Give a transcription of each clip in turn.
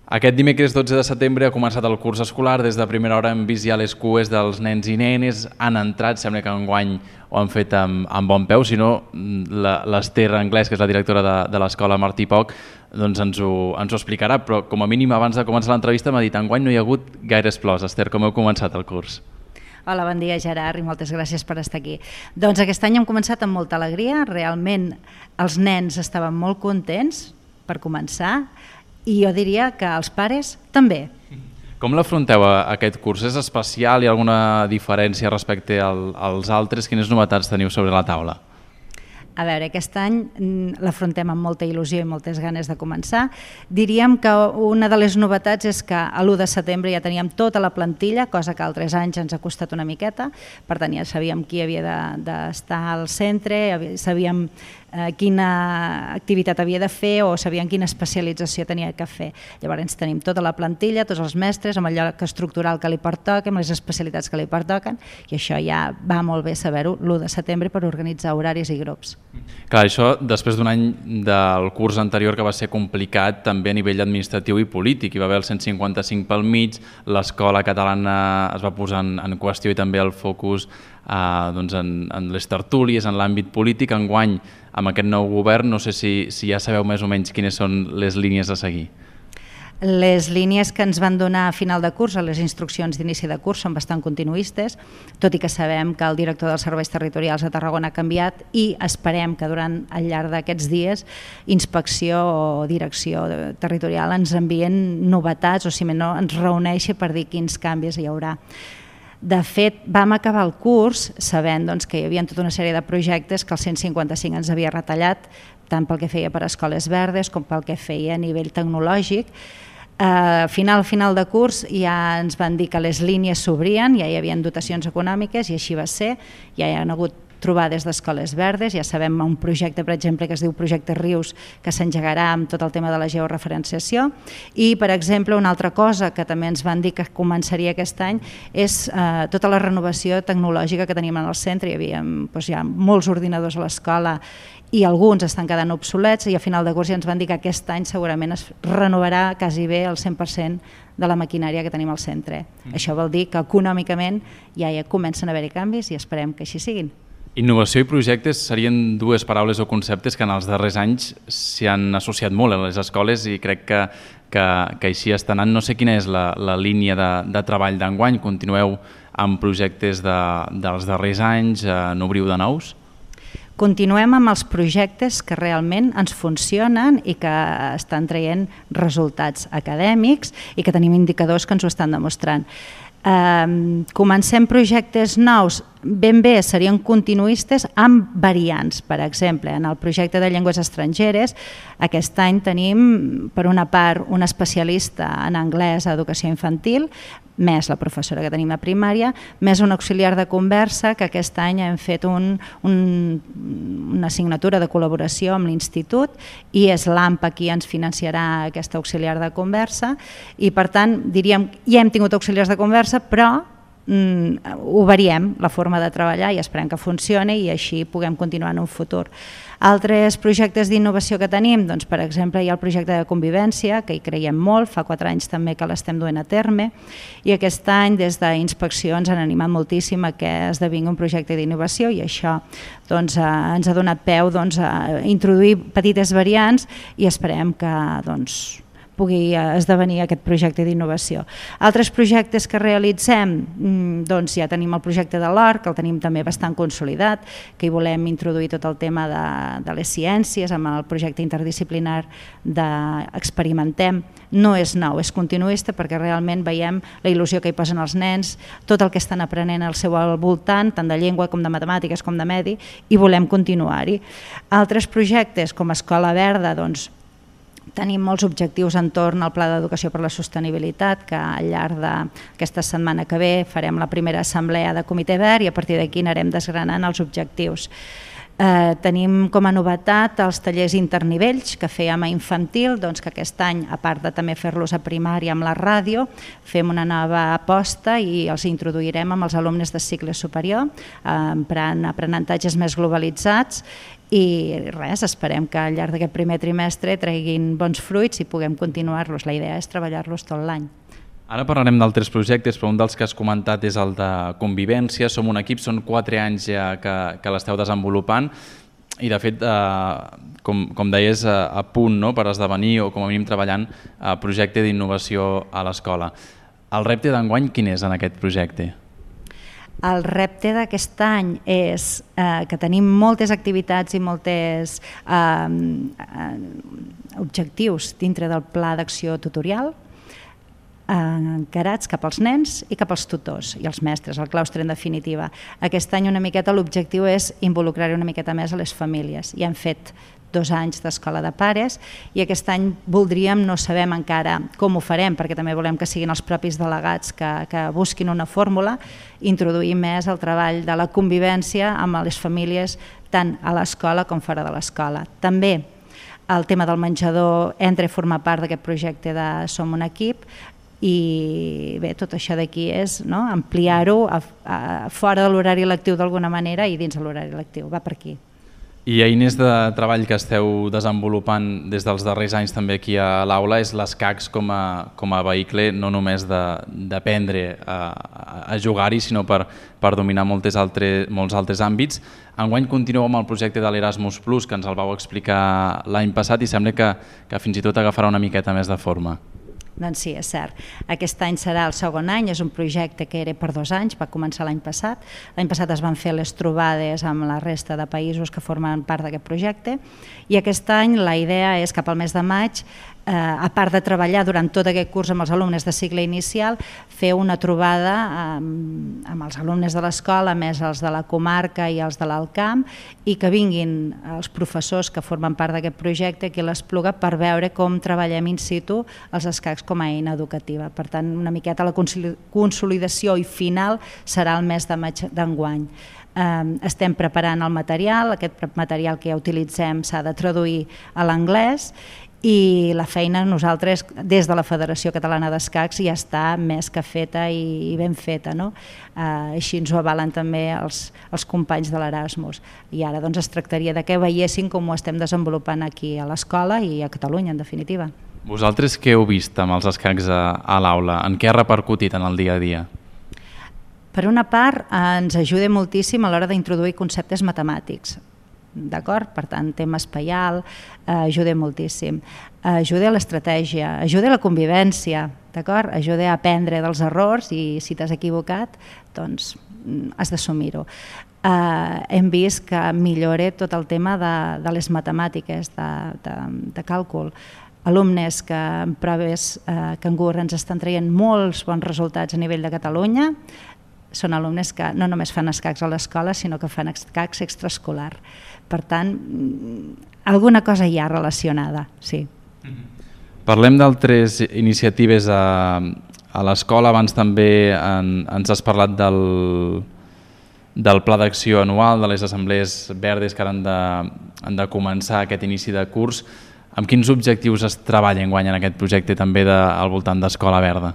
Aquest dimecres 12 de setembre ha començat el curs escolar. Des de primera hora hem vist ja les cues dels nens i nenes. Han entrat, sembla que enguany ho han fet amb bon peu, si no l'Ester Anglès, que és la directora de l'escola Martí Poch, doncs ens ho explicarà, però com a mínim abans de començar l'entrevista m'ha dit enguany no hi ha hagut gaires plors. Ester, com heu començat el curs? Hola, bon dia Gerard i moltes gràcies per estar aquí. Doncs aquest any hem començat amb molta alegria, realment els nens estaven molt contents per començar i jo diria que els pares també. Com l'afronteu aquest curs? És especial? Hi ha alguna diferència respecte als altres? Quines novetats teniu sobre la taula? A veure, aquest any l'afrontem amb molta il·lusió i moltes ganes de començar. Diríem que una de les novetats és que a l'1 de setembre ja teníem tota la plantilla, cosa que altres anys ens ha costat una miqueta. Per tant, ja sabíem qui havia d'estar al centre, sabíem quina activitat havia de fer o sabíem quina especialització tenia que fer. Llavors tenim tota la plantilla, tots els mestres, amb el lloc estructural que li pertoca, amb les especialitats que li pertoquen, i això ja va molt bé saber-ho l'1 de setembre per organitzar horaris i grups. Clar, això després d'un any del curs anterior que va ser complicat també a nivell administratiu i polític. Hi va haver el 155 pel mig, l'escola catalana es va posar en qüestió i també el focus en les tertúlies, en l'àmbit polític. Enguany, amb aquest nou govern, no sé si ja sabeu més o menys quines són les línies a seguir. Les línies que ens van donar a final de curs, les instruccions d'inici de curs, són bastant continuistes, tot i que sabem que el director dels serveis territorials a Tarragona ha canviat i esperem que durant al llarg d'aquests dies inspecció o direcció territorial ens envien novetats o si no ens reuneixi per dir quins canvis hi haurà. De fet, vam acabar el curs sabent que hi havia tota una sèrie de projectes que el 155 ens havia retallat, tant pel que feia per a escoles verdes com pel que feia a nivell tecnològic. Final de curs ja ens van dir que les línies s'obrien, ja hi havia dotacions econòmiques i així va ser, ja hi ha hagut trobades d'escoles verdes, ja sabem un projecte, per exemple, que es diu Projecte Rius, que s'engegarà amb tot el tema de la georreferenciació i, per exemple, una altra cosa que també ens van dir que començaria aquest any és tota la renovació tecnològica que tenim en el centre. Hi havia ja molts ordinadors a l'escola i alguns estan quedant obsolets i a final de curs ja ens van dir que aquest any segurament es renovarà quasi bé el 100% de la maquinària que tenim al centre. Això vol dir que econòmicament ja comencen a haver-hi canvis i esperem que així siguin. Innovació i projectes serien dues paraules o conceptes que en els darrers anys s'hi han associat molt a les escoles i crec que així està anant. No sé quina és la línia de treball d'enguany. Continueu amb projectes dels darrers anys? N'obriu de nous? Continuem amb els projectes que realment ens funcionen i que estan traient resultats acadèmics i que tenim indicadors que ens ho estan demostrant. Comencem projectes nous, ben bé serien continuistes amb variants. Per exemple, en el projecte de llengües estrangeres aquest any tenim per una part un especialista en anglès a educació infantil, més la professora que tenim a primària, més un auxiliar de conversa que aquest any hem fet una assignatura de col·laboració amb l'institut i és l'AMPA qui ens financiarà aquesta auxiliar de conversa i per tant diríem ja hem tingut auxiliars de conversa però ho variem la forma de treballar i esperem que funcioni i així puguem continuar en un futur. Altres projectes d'innovació que tenim, doncs, per exemple, hi ha el projecte de convivència, que hi creiem molt, fa 4 anys també que l'estem duent a terme, i aquest any des d'Inspecció ens han animat moltíssim a que esdevingui un projecte d'innovació i això ens ha donat peu a introduir petites variants i esperem que pugui esdevenir aquest projecte d'innovació. Altres projectes que realitzem, ja tenim el projecte de l'OR, que el tenim també bastant consolidat, que hi volem introduir tot el tema de les ciències amb el projecte interdisciplinar d'Experimentem. No és nou, és continuista perquè realment veiem la il·lusió que hi posen els nens, tot el que estan aprenent al seu voltant, tant de llengua com de matemàtiques com de medi, i volem continuar-hi. Altres projectes com Escola Verda, tenim molts objectius entorn al Pla d'Educació per la Sostenibilitat, que al llarg d'aquesta setmana que ve farem la primera assemblea de Comitè Verd i a partir d'aquí anirem desgranant els objectius. Tenim com a novetat els tallers internivells que fèiem a infantil, que aquest any, a part de també fer-los a primària amb la ràdio, fem una nova aposta i els introduirem amb els alumnes de cicle superior, emprant aprenentatges més globalitzats i res, esperem que al llarg d'aquest primer trimestre treguin bons fruits i puguem continuar-los. La idea és treballar-los tot l'any. Ara parlarem d'altres projectes, però un dels que has comentat és el de convivència. Som un equip, són 4 anys ja que l'esteu desenvolupant i de fet, com deies, a punt per esdevenir o com a mínim treballant a projecte d'innovació a l'escola. El repte d'enguany quin és en aquest projecte? El repte d'aquest any és que tenim moltes activitats i molts objectius dintre del pla d'acció tutorial encarats cap als nens i cap als tutors i els mestres, el claustre en definitiva. Aquest any una miqueta l'objectiu és involucrar una miqueta més a les famílies i hem fet 2 anys d'escola de pares i aquest any voldríem, no sabem encara com ho farem perquè també volem que siguin els propis delegats que busquin una fórmula, introduir més el treball de la convivència amb les famílies tant a l'escola com fora de l'escola. També el tema del menjador entra a formar part d'aquest projecte de Som un equip i bé, tot això d'aquí és ampliar-ho fora de l'horari lectiu d'alguna manera i dins de l'horari lectiu, va per aquí. I eines de treball que esteu desenvolupant des dels darrers anys també aquí a l'aula és l'ESCACs com a vehicle no només d'aprendre a jugar-hi, sinó per dominar molts altres àmbits. Enguany continueu amb el projecte de l'Erasmus+, que ens el vau explicar l'any passat i sembla que fins i tot agafarà una miqueta més de forma. Doncs sí, és cert. Aquest any serà el segon any, és un projecte que era per 2 anys, va començar l'any passat. L'any passat es van fer les trobades amb la resta de països que formen part d'aquest projecte i aquest any la idea és cap al mes de maig, a part de treballar durant tot aquest curs amb els alumnes de cicle inicial, fer una trobada amb els alumnes de l'escola, més els de la comarca i els de l'Alt Camp, i que vinguin els professors que formen part d'aquest projecte aquí a l'Espluga per veure com treballem in situ els escacs com a eina educativa. Per tant, una miqueta la consolidació i final serà el mes de maig d'enguany. Estem preparant el material, aquest material que ja utilitzem s'ha de traduir a l'anglès i la feina nosaltres des de la Federació Catalana d'Escacs ja està més que feta i ben feta. Així ens ho avalen també els companys de l'Erasmus i ara es tractaria que veiessin com ho estem desenvolupant aquí a l'escola i a Catalunya en definitiva. Vosaltres què heu vist amb els escacs a l'aula? En què ha repercutit en el dia a dia? Per una part ens ajuda moltíssim a l'hora d'introduir conceptes matemàtics. D'acord? Per tant, tema espaial, ajuda moltíssim. Ajuda a l'estratègia, ajuda a la convivència, d'acord? Ajuda a aprendre dels errors i si t'has equivocat, doncs has d'assumir-ho. Hem vist que millora tot el tema de les matemàtiques, de càlcul. Alumnes que en proves Cangur ens estan traient molts bons resultats a nivell de Catalunya, són alumnes que no només fan escacs a l'escola, sinó que fan escacs extraescolar. Per tant, alguna cosa hi ha relacionada, sí. Parlem d'altres iniciatives a l'escola. Abans també ens has parlat del pla d'acció anual, de les assemblees verdes que ara han de començar aquest inici de curs. Amb quins objectius es treballa enguany en aquest projecte també al voltant d'Escola Verda?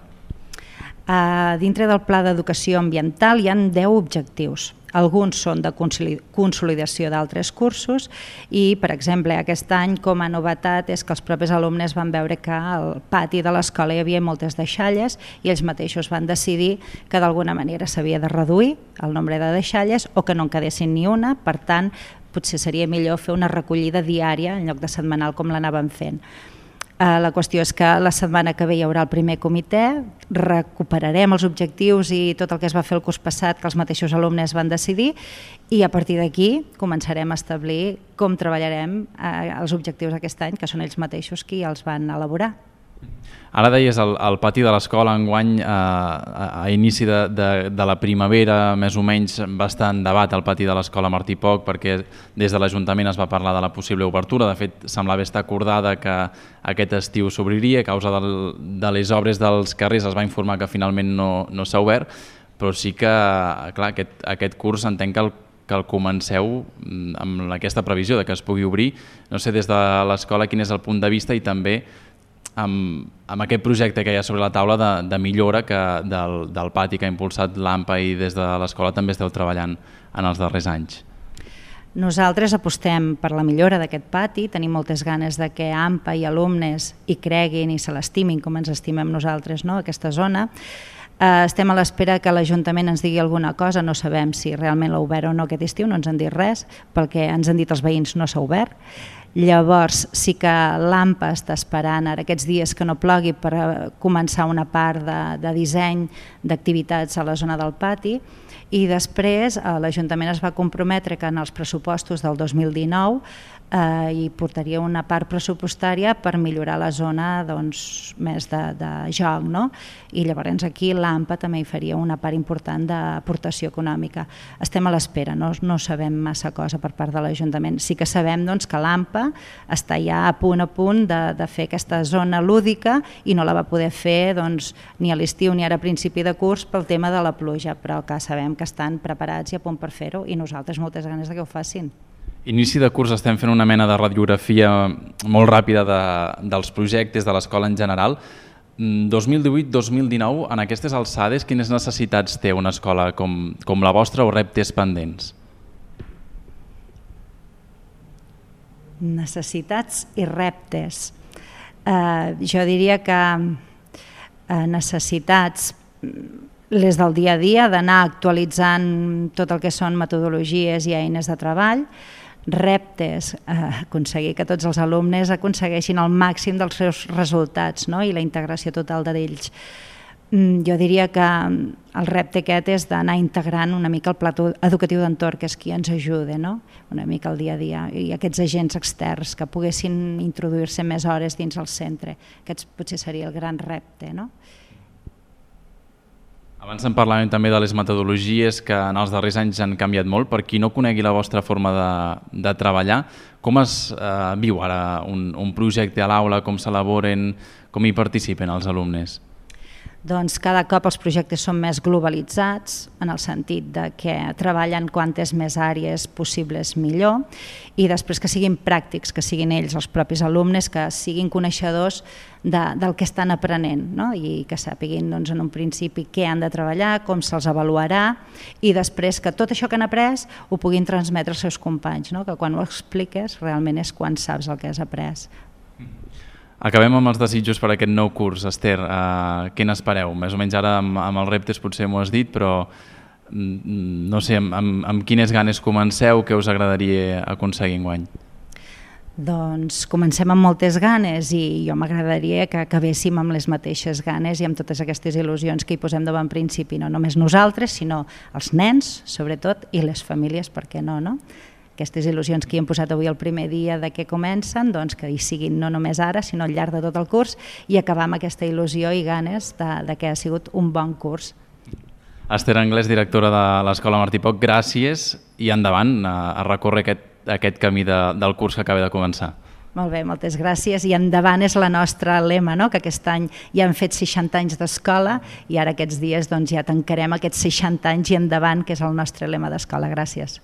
Dintre del pla d'educació ambiental hi ha 10 objectius. Alguns són de consolidació d'altres cursos i, per exemple, aquest any com a novetat és que els propis alumnes van veure que al pati de l'escola hi havia moltes deixalles i ells mateixos van decidir que d'alguna manera s'havia de reduir el nombre de deixalles o que no en quedessin ni una, per tant, potser seria millor fer una recollida diària en lloc de setmanal com l'anàvem fent. La qüestió és que la setmana que ve hi haurà el primer comitè, recuperarem els objectius i tot el que es va fer el curs passat que els mateixos alumnes van decidir i a partir d'aquí començarem a establir com treballarem els objectius d'aquest any, que són ells mateixos qui els van elaborar. Ara deies el pati de l'escola enguany a inici de la primavera, més o menys va estar en debat al pati de l'escola Martí Poch perquè des de l'Ajuntament es va parlar de la possible obertura. De fet, semblava estar acordada que aquest estiu s'obriria. A causa de les obres dels carrers es va informar que finalment no s'ha obert, però sí que clar, aquest curs entenc que el comenceu amb aquesta previsió de que es pugui obrir. No sé des de l'escola quin és el punt de vista i també amb aquest projecte que hi ha sobre la taula de millora del pati que ha impulsat l'AMPA i des de l'escola també esteu treballant en els darrers anys. Nosaltres apostem per la millora d'aquest pati, tenim moltes ganes de que AMPA i alumnes hi creguin i se l'estimin com ens estimem nosaltres, no?, aquesta zona. Estem a l'espera que l'Ajuntament ens digui alguna cosa, no sabem si realment l'ha obert o no aquest estiu, no ens han dit res, pel que ens han dit els veïns no s'ha obert. Llavors sí que l'AMPA està esperant ara aquests dies que no plogui per començar una part de disseny d'activitats a la zona del pati, i després l'Ajuntament es va comprometre que en els pressupostos del 2019 hi portaria una part pressupostària per millorar la zona més de joc, no? I llavors aquí l'AMPA també hi faria una part important d'aportació econòmica. Estem a l'espera, no sabem massa cosa per part de l'Ajuntament. Sí que sabem que l'AMPA està ja a punt de fer aquesta zona lúdica i no la va poder fer ni a l'estiu ni ara a principi de curs pel tema de la pluja, però que sabem que estan preparats i a punt per fer-ho i nosaltres moltes ganes que ho facin. Inici de curs estem fent una mena de radiografia molt ràpida dels projectes de l'escola en general. 2018-2019, en aquestes alçades, quines necessitats té una escola com la vostra o reptes pendents? Necessitats i reptes. Jo diria que necessitats les del dia a dia, d'anar actualitzant tot el que són metodologies i eines de treball, reptes, aconseguir que tots els alumnes aconsegueixin el màxim dels seus resultats, no?, i la integració total d'ells. Jo diria que el repte aquest és d'anar integrant una mica el pla educatiu d'entorn, que és qui ens ajuda, no?, una mica el dia a dia, i aquests agents externs que poguessin introduir-se més hores dins el centre. Aquest potser seria el gran repte, no? Abans en parlàvem també de les metodologies que en els darrers anys han canviat molt. Per qui no conegui la vostra forma de treballar, com es viu ara un projecte a l'aula, com s'elaboren, com hi participen els alumnes? Doncs cada cop els projectes són més globalitzats, en el sentit de que treballen quantes més àrees possibles millor, i després que siguin pràctics, que siguin ells, els propis alumnes, que siguin coneixedors del que estan aprenent, no?, i que sàpiguin en un principi què han de treballar, com se'ls avaluarà, i després que tot això que han après ho puguin transmetre als seus companys, no?, que quan ho expliques realment és quan saps el que has après. Acabem amb els desitjos per aquest nou curs. Esther, què n'espereu? Més o menys ara amb els reptes potser m'ho has dit, però no sé, amb quines ganes comenceu, què us agradaria aconseguir enguany? Doncs comencem amb moltes ganes i jo m'agradaria que acabéssim amb les mateixes ganes i amb totes aquestes il·lusions que hi posem de bon principi, no només nosaltres, sinó els nens, sobretot, i les famílies, per què no, no? Aquestes il·lusions que hi hem posat avui el primer dia de què comencen, doncs que hi siguin no només ara, sinó al llarg de tot el curs, i acabar amb aquesta il·lusió i ganes de que ha sigut un bon curs. Esther Anglès, directora de l'Escola Martí Poch, gràcies i endavant a recórrer aquest camí del curs que acaba de començar. Molt bé, moltes gràcies. I endavant és la nostra lema, no?, que aquest any ja hem fet 60 anys d'escola i ara aquests dies ja tancarem aquests 60 anys i endavant, que és el nostre lema d'escola. Gràcies.